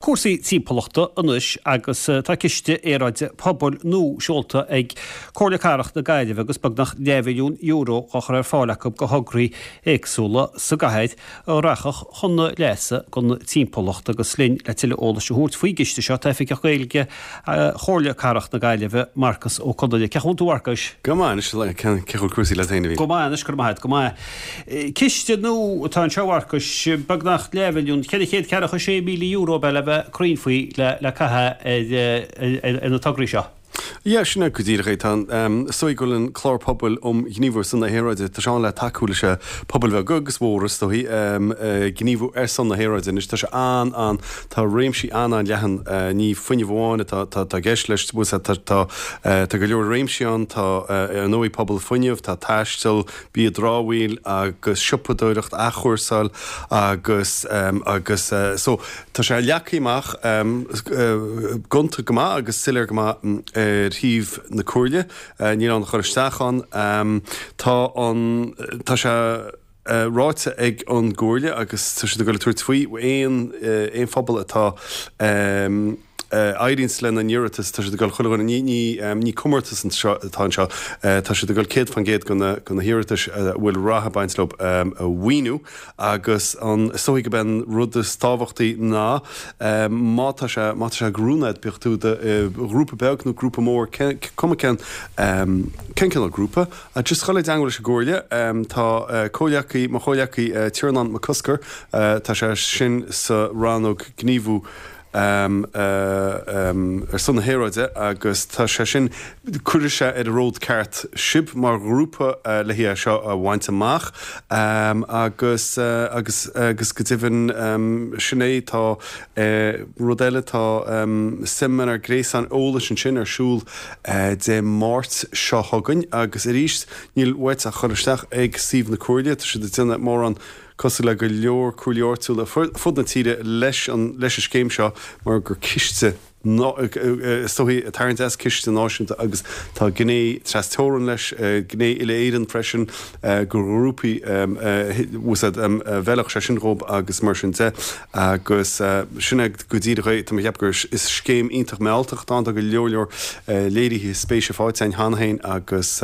Cúrsaí timpeallachta anois agus tá ciste aeráide pobail nua seolta ag Comhairle Cathrach na Gaillimhe agus beagnach leathmhilliún euro á chur ar fáil acu do thograí éagsúla sa gcathair a rachadh chun leasa don timpeallacht. Agus linn le tuilleadh eolais a thabhairt faoin gciste seo tá Oifigeach Gaeilge Chomhairle Cathrach na Gaillimhe, Marcus Ó Conghaile. Cén chaoi a bhfuil tú a Mharcais? Go maith anois, cén chaoi a bhfuil cúrsaí leat féin a Mhíl? Go maith anois, go raibh maith agat, go maith. Ciste nua atá anseo, a Mharcais, beagnach leathmhilliún, €446,000 ab ea le bheith cruinn faoi le caitheamh ar na tograí seo. Yeah, sin é go díreach é. Tá an, is dóigh go bhfuil an Clár Pobail um Ghníomhú ar son na hAeráide, tá sé ann le tacú leis na pobail bheaga agus mhóra, is dóigh, gníomhú ar son na haeráide. Anois tá sé an, an, tá réimsí an-an-leathan, ní fuinneamh amháin atá, tá, tá i gceist leis, tá, tá, tá go leor réimsí ann, tá, ar ndóigh, pobal fuinneamh, tá taisteal, bia dramhaíl agus siopadóireacht, athchúrsáil agus agus so tá sé leagtha amach gonta go maith agus soiléir go maith ar shuíomh na Comhairle, níl ann ach dul isteach ann. Tá an tá sé ráite ag an gComhairle agus tá siad ag dul ag tabhairt faoi aon aon phobal atá éiríonns lena n-iarratas, tá siad ag dul chuile dhuine, ní, ní, ní comórtas anseo atá anseo, tá siad ag dul 100% de na, de na hiarratais a bhfuil rath ag baint leo a mhaoiniú agus an, is dóigh gurb é an rud is tábhachtaí ná má tá sé, má tá sé ag oiriúnú duit, bíodh tú i do ghrúpa beag nó grúpa mór, cé, cuma cén, cén cineál grúpa, just dhul i dteangmháil leis an gComhairle, tá comhghleacaí, mo chomhghleacaí Tiarnán Mac Cosgair, tá sé sin sa rannóg gníomhú, ar son na haeráide agus tá sé sin, cuirfidh sé ar an ród ceart sibh mar ghrúpa le é seo a bhaint amach agus agus agus go deimhin sin é tá rud eile tá seimineár gréasáin eolais ansin ar siúl Dé Máirt seo chugainn agus arís níl uait ach dhul isteach ag suíomh na Comhairle, tá siad ag déanamh mórán cosúil le go leor comhairlí áitiúla fud na tíre leis an leis an scéim seo mar gur ciste is dóichí ag tarraingt as ciste náisiúnta agus tá gné tras-teorann leis, gné uile-Éireann freisin gur ghrúpaí úsáid a bhfeilfeadh sé sin dhóibh agus mar sin de agus sin é go díreach é. Tá mé ag ceapadh gur is scéim iontach mealltach atá ann, tá go leor leor léirithe spéise faighte againn cheana féin agus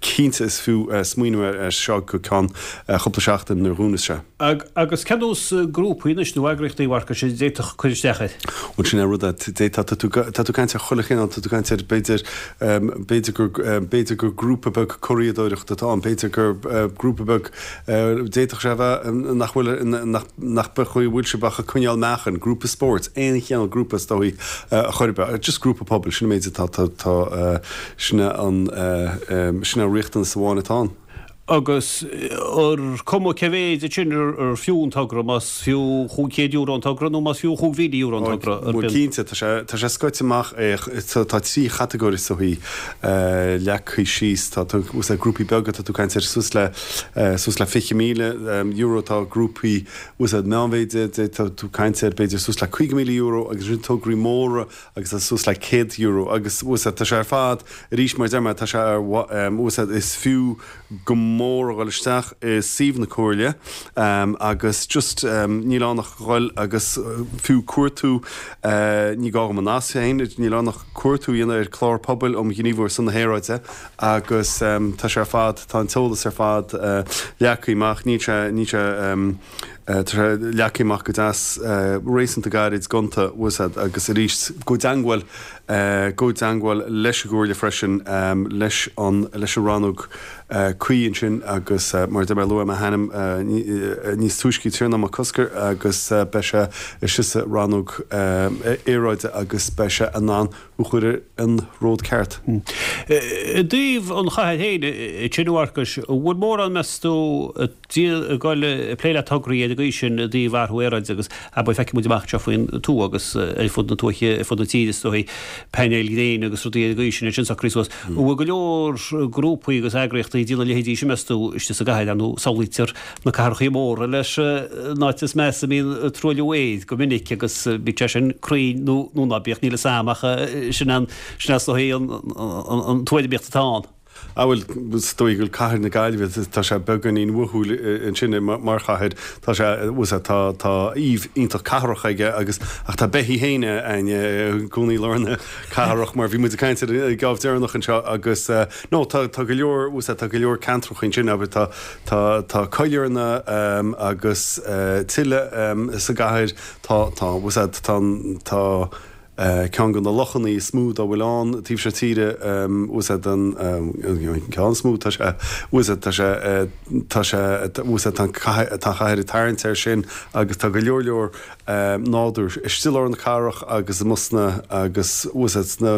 Cinnte is fiú smaoineamh air seo go ceann cúpla seachtain nuair a dhúnas sé. Agus cén nós grúpaí anois nó eagraíochtaí, a Mharcais, a d'fhéadfadh cur isteach air? Bhuel sin é an rud, d'fhéadfá, tá tú, tá tú ag caint ar chuile chineál, tá tú ag caint ar b'fhéidir, b'fhéidir gur, b'fhéidir gur grúpa beag curaíodóireachta atá ann, b'fhéidir gur grúpa beag, d'fhéadfadh sé a bheith nach bhfuil, nach, nach bhfuil sibh ach ag coinneáil meáchain, grúpa spóirt, aon chineál grúpa is dóigh a chor ar bith, just grúpa pobail, sin an méid atá, tá, tá. Sin é an, sin é an riachtanas amháin atá ann. Agus ar cuma cé mhéid ansin ar fiú an togra, más fiú €500 an togra nó más fiú €5,000 an togra, ar Bhuel cinnte, tá sé, tá sé scoite amach, tá trí chatagóir is dóichí leagtha síos, tá, tá, úsáid grúpaí beaga, tá tú ag caint ar suas le, suas le €20,000, tá grúpaí, úsáid meánmhéide, tá tú ag caint ar b'fhéidir suas le €50,000 agus ansin tograí móra agus tá suas le €100 agus úsáid, tá sé ar fad, arís mar a deir mé, tá sé ar úsáid, is fiú go mór a dhul isteach i suíomh na Comhairle agus just níl ann ach dhul agus fiú cuartú, ní gá dhom an nasc féin, níl ann ach cuartú a dhéanamh ar Clár Pobail um Ghníomhú ar son na hAeráide agus tá sé ar fad, tá an t-eolas ar fad leagtha amach, níl sé, níl sé. Tá sé leagtha amach go deas, réasúnta gairid, gonta, úsáid agus arís gabh i dteangmháil, gabh i dteangmháil leis an gComhairle freisin, leis an, leis an rannóg cuí ansin agus mar a deir mé, luaigh mé a hainm níos túisce, Tiarnán Mac Cosgair agus beidh sé istigh sa rannóg aeráide agus beidh sé in ann thú a chur ar an ród ceart. I dtaobh an chathair féin, ansin a Mharcais, an bhfuil mórán meas tú, ag dul ag plé le tograí ar an gcaoi sin i dtaobh athrú aeráide agus abair feicfidh muid amach anseo faoin tuath agus ar fud na tuaithe, ar fud na tíre is dóigh, painéil ghréine agus rudaí ar an gcaoi sin, é sin socraithe suas. An bhfuil go leor grúpaí agus eagraíochtaí ag déanamh a leithéidí sin meas tú istigh sa gcathair, ar ndóigh samhlaítear na cathrachaí móra leis an áit is measa a mbíonn truailliú aeir go minic agus bíodh sé sin cruinn nó ná bíodh, níl 'fhios a'm ach sin an, sin is dóigh an tuairimíocht atá ann. Ah bhuel, is dóigh go bhfuil cathair na Gaillimhe, tá sé beagáinín uathúil ansin mar chathair, tá sé, bhfuil 's a'd, tá, tá aoibh iontach cathrach aige agus, ach tá beithígh féin a'inn i gcónaí i lár na cathrach mar bhí muid ag caint ar an geábh deireanach anseo agus no, tá, tá go leor, bhfuil 's a'd, tá go leor ceantracha ansin, abair, tá, tá, tá coillearna agus tuilleadh sa gcathair, tá, tá, bhfuil 's a'd, tá, tá. Ceann de na lochanna is mó dá bhfuil ann taobh seo tíre, bhfuil 's a'd, an ceann is mó, tá sé, bhfuil 's a'd, tá sé, tá sé, bhfuil 's a'd, tá an cathair, tá an chathair ag tarraingt air sin agus tá go leor leor nádúr istigh i lár na cathrach agus amuigh sna, agus bhfuil 's a'd, sna,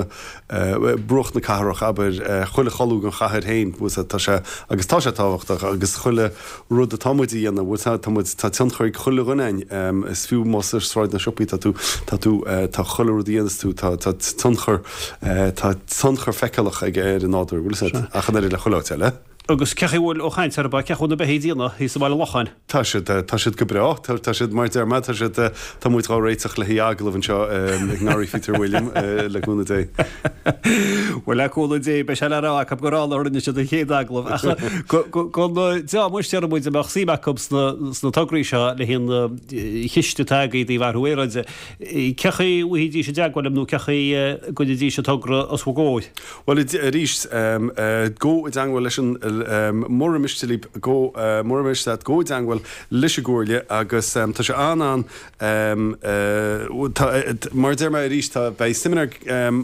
bruach na cathrach, abair, chuile cholúr den chathair féin, bhfuil 's a'd, tá sé, agus tá sé tábhachtach agus chuile. rud atá muid a dhéanamh, bhfuil 's a'd, tá muid, tá tionchar ag chuile dhuine a'inn, is fiú más ar Sráid na Siopaí tá tú, tá tú, tá chuile rud a dhéanas tú, tá, tá tionchar, tá tionchar feiceálach aige ar an nádúr, bhfuil 's a'd, ach an oiread le chuile áit eile. Agus cé chaoi a bhfuil, ó chaint ar bith, cé chaoi a bhfuil na beithígh ag déanamh thíos i mBaile Locháin? Tá siad, tá siad go breá, tá, tá siad, mar a deir mé, tá siad, tá muid dhá réiteach le haghaidh agallamh anseo ag nGarraí Phíotair William, le cúnamh Dé. Bhuel, le cúnamh Dé, beidh sé le rá acu gur ann a rinne siad an chéad agallamh. Ach don dream anois déarfaidh muid a mbeadh suim acu sna tograí seo le haghaidh an chiste atá agaibh i dtaobh athrú aeráide, cé chaoi a bhfaighidís i dteagmháil libh nó cé chaoi a gcuirfidís an togra os bhur gcomhair? Bhuel, arís, gabh i dteagmháil leis an, mura miste libh, mura miste leat, gabh i dteagmháil leis an gComhairle agus tá sé an-an, Tá, mar a deir mé arís, tá, beidh seimineár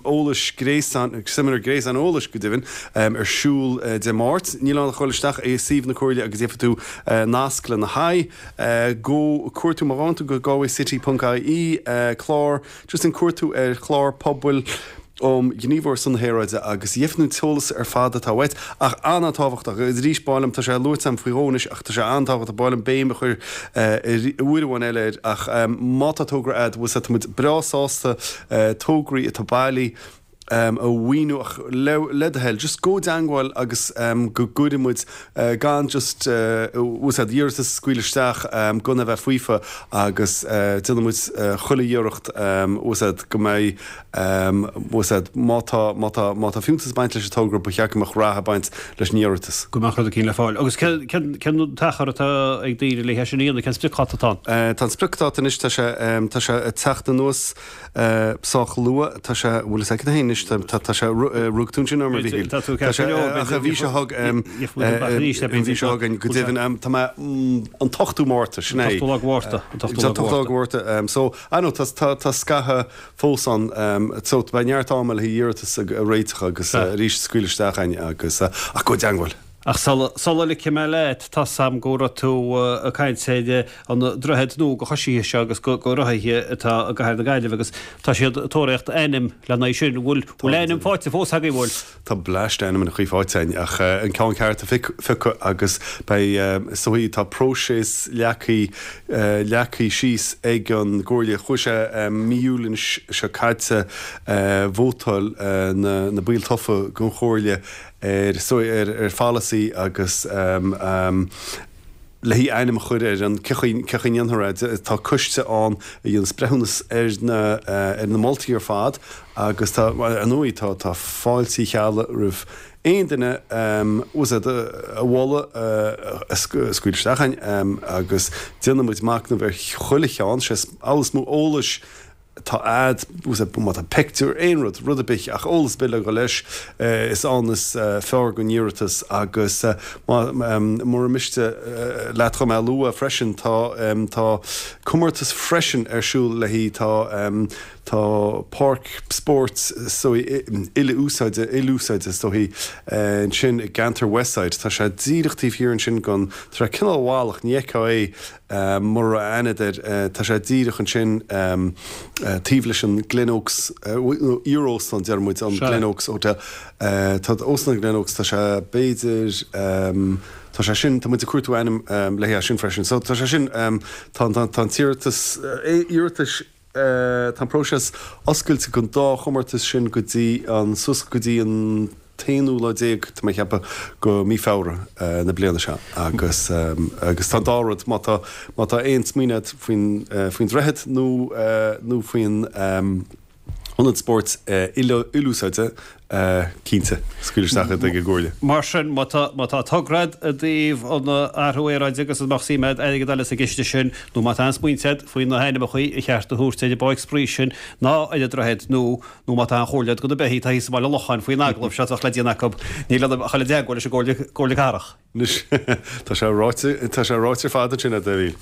eolais gréasáin, seimineár gréasáin eolais go deimhin, ar siúl Dé Máirt. Níl ann ach dul isteach i suíomh na Comhairle agus gheobhaidh tú nasc lena haghaidh. Go, cuartú, má ghabhann tú go galwaycity ponc ie, clár, just déan cuartú ar chlár pobail, um Ghníomhú ar son na hAeráide agus gheobhaidh tú an t-eolas ar fad atá uait. Ach an-an-tábhachtach, agus arís b'áil liom, tá sé luaite agam faoi dhó anois ach tá sé an-tábhachtach, b'áil liom béim a chur uair amháin eile air ach má tá togra a'd, bhfuil 's a'd, tá muid breá sásta tograí atá bailí a mhaoiniú ach le do thoil, just gabh i dteangmháil agus go gcuirfidh muid gan just bhfuil 's a'd, iarratas a scaoileadh isteach gan a bheith faofa agus déanfaidh muid chuile iarracht bhfuil 's a'd, go mbeidh Bhfuil 's a'd, má tá, má tá, má tá fiúntas ag baint leis an togra, ba cheart go mbeadh rath ag baint leis an iarratas. Go mbeadh rud eicínt le fáil. Agus cén, cén, cén t-achar atá ag daoine le é sin a dhéanamh? Cén spriocdháta atá ann? Tá an spriocdháta anois, tá sé, tá sé ag teacht anuas sách luath, tá sé, bhfuil 'fhios agat féin anois, tá, tá, tá sé, rug tú ansin orm a Mhíchíl. Tá tú ceart go leor, ach an mhí seo chug, an mhí seo chugainn, go deimhin, tá mé, an t-ochtú Márta, sin é. An t-ochtú lá de Mhárta. An t-ochtú lá de Mhárta. So, I know, tá, tá, tá scaitheamh fós ann so beidh neart ama le haghaidh iarratas a réiteach agus arís scaoil isteach a'inn agus ach gabh i dteangmháil. Ach sula ligfidh mé leat, tá's a'm go raibh tú ag caint ar an droichead nua do choisithe seo agus do rothaithe atá i gcathair na Gaillimhe agus tá siad ag tóraíocht ainm lena aghaidh sin. Bhfuil ainm faighte fós agaibh, bhfuil? Tá bleaist ainmneacha faighte againn ach an ceann ceart a phiocadh agus beidh, is dóigh, tá próiseas leagtha, leagtha síos ag an gComhairle. Chuaigh sé mí Iúil anois seo caite, vótáil na na baill tofa den Chomhairle ar, is dóigh, ar ar pholasaí agus le haghaidh ainm a chur ar an, cé chaoi, cé chaoi a ndéanfar é. Tá coiste ann a dhéanas breithiúnas ar na, ar na moltaí ar fad agus tá, ar ndóigh, tá, tá fáilte Uí Cheallaigh roimh aon duine bhfuil 's a'd, a mholadh a scaoil isteach a'inn agus déanfaidh muid machnamh ar chuile cheann, sé is mó eolais atá a'd, má tá pictiúr, aon rud, rud ar bith, ach eolas ar bith le dhul leis, is ann is fearr don iarratas agus mura miste leat dhom é a lua freisin, tá, tá comórtas freisin ar siúl le haghaidh, tá, tá páirc spóirt is dóigh uile-úsáide, ilúsáide is dóigh, ansin i gceantar Westside, tá sé díreach taobh thiar ansin den, tá sé cineál i bhfalach, ní fheicfeá é, Mura raibh aithne a'd air, tá sé díreach ansin taobh leis an Glen Oaks, nó iar-óstán, deir muid, an Glen Oaks Hotel. Tá óstán an Glen Oaks, tá sé b'fhéidir, tá sé sin, tá muid ag cuartú ainm le haghaidh sin freisin. So tá sé sin, tá an t-iarratas, iarratais, Tá an próiseas oscailte don dá chomórtas sin go dtí an, suas go dtí an t-aonú lá déag, tá mé ag ceapadh, go mí Feabhra na bliana seo agus agus tá an dá rud, má tá má tá aon smaoineamh agat faoin faoin droichead nó nó faoin ionad spóirt uile-úsáide. Cinnte, scaoil isteach iad ag an gComhairle. Mar sin, má tá, má tá togra agat i dtaobh an athrú aeráide agus an mbeadh suim agat airgead a fháil as an gciste sin, nó má tá aon smaointe agat faoi na hainmneacha ar cheart a thabhairt ar an bpáirc spraoi sin ná ar an droichead nó, nó má tá aon chomhairle agat do na beithígh atá thíos i mBaile Locháin faoin agallamh seo atá le déanamh acu, níl ionam ach a dhul i dteagmháil leis an gComhairle, Comhairle Cathrach. Anois, tá sé ráite, tá sé ráite ar fad ansin, a Daibhín.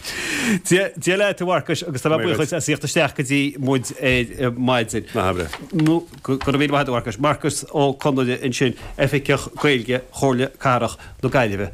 Dia, Dia leat, a Mharcais, agus tá mé buíoch duit as theacht isteach go dtí muid ar maidin. Ná habair é. Nó, go raibh míle maith agat, a Mharcais. Marcas Ó Conaire ansin, Oifigeach Gaeilge Chomhairle Cathrach na Gaillimhe.